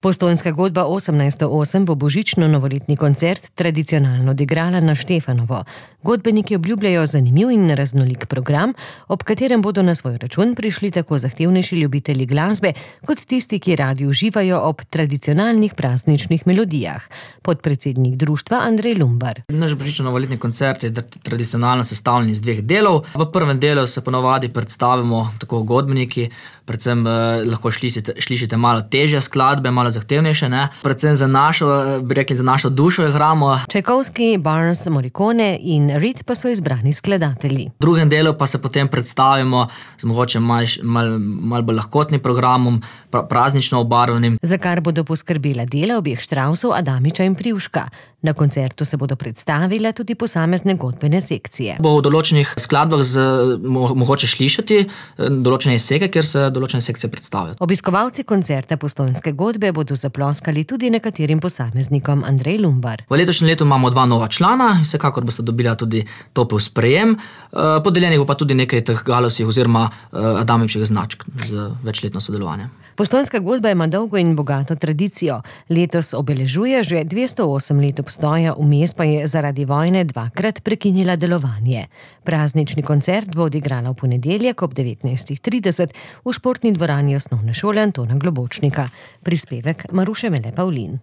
Postojnska godba 1808 bo božično-novoletni koncert tradicionalno odigrala na Štefanovo. Godbeniki obljubljajo zanimiv in raznolik program, ob katerem bodo na svoj račun prišli tako zahtevnejši ljubitelji glasbe, kot tisti, ki radi uživajo ob tradicionalnih prazničnih melodijah. Podpredsednik društva Andrej Lumbar. Naš božično-novoletni koncert je tradicionalno sestavljen iz dveh delov. V prvem delu se ponavadi predstavimo tako godbeniki, predvsem lahko slišite malo težje skladbe, malo zahtevnejše, ne? Predvsem za našo dušo igramo. Čajkovski, Barnes, Morricone in Reed pa so izbrani skladatelji. V drugem delu pa se potem predstavimo z mogoče malo bolj lahkotnim programom, praznično obarvanim. Za kar bodo poskrbela dela obeh Štravsov, Adamiča in Privška. Na koncertu se bodo predstavile tudi posamezne godbene sekcije. Bo v določenih skladbah mogoče slišati določene izseke, kjer se določene sekcije predstavijo. Obiskovalci koncerta Postojnske godbe bodo zaploskali tudi nekaterim posameznikom. Andrej Lumbar. V letošnjem letu imamo 2 nova člana, vsekakor boste dobila tudi topel sprejem. Podeljenih bo pa tudi nekaj teh galovskih oziroma Adamičevih značk z večletno sodelovanje. Postojnska godba ima dolgo in bogato tradicijo. Letos obeležuje že 208 let obstoja, vmes pa je zaradi vojne 2-krat prekinila delovanje. Praznični koncert bo odigrala v ponedeljek ob 19:30 v športni dvorani Osnovne šole Antona Globočnika. Prispevek Maruše Mele Pavlin.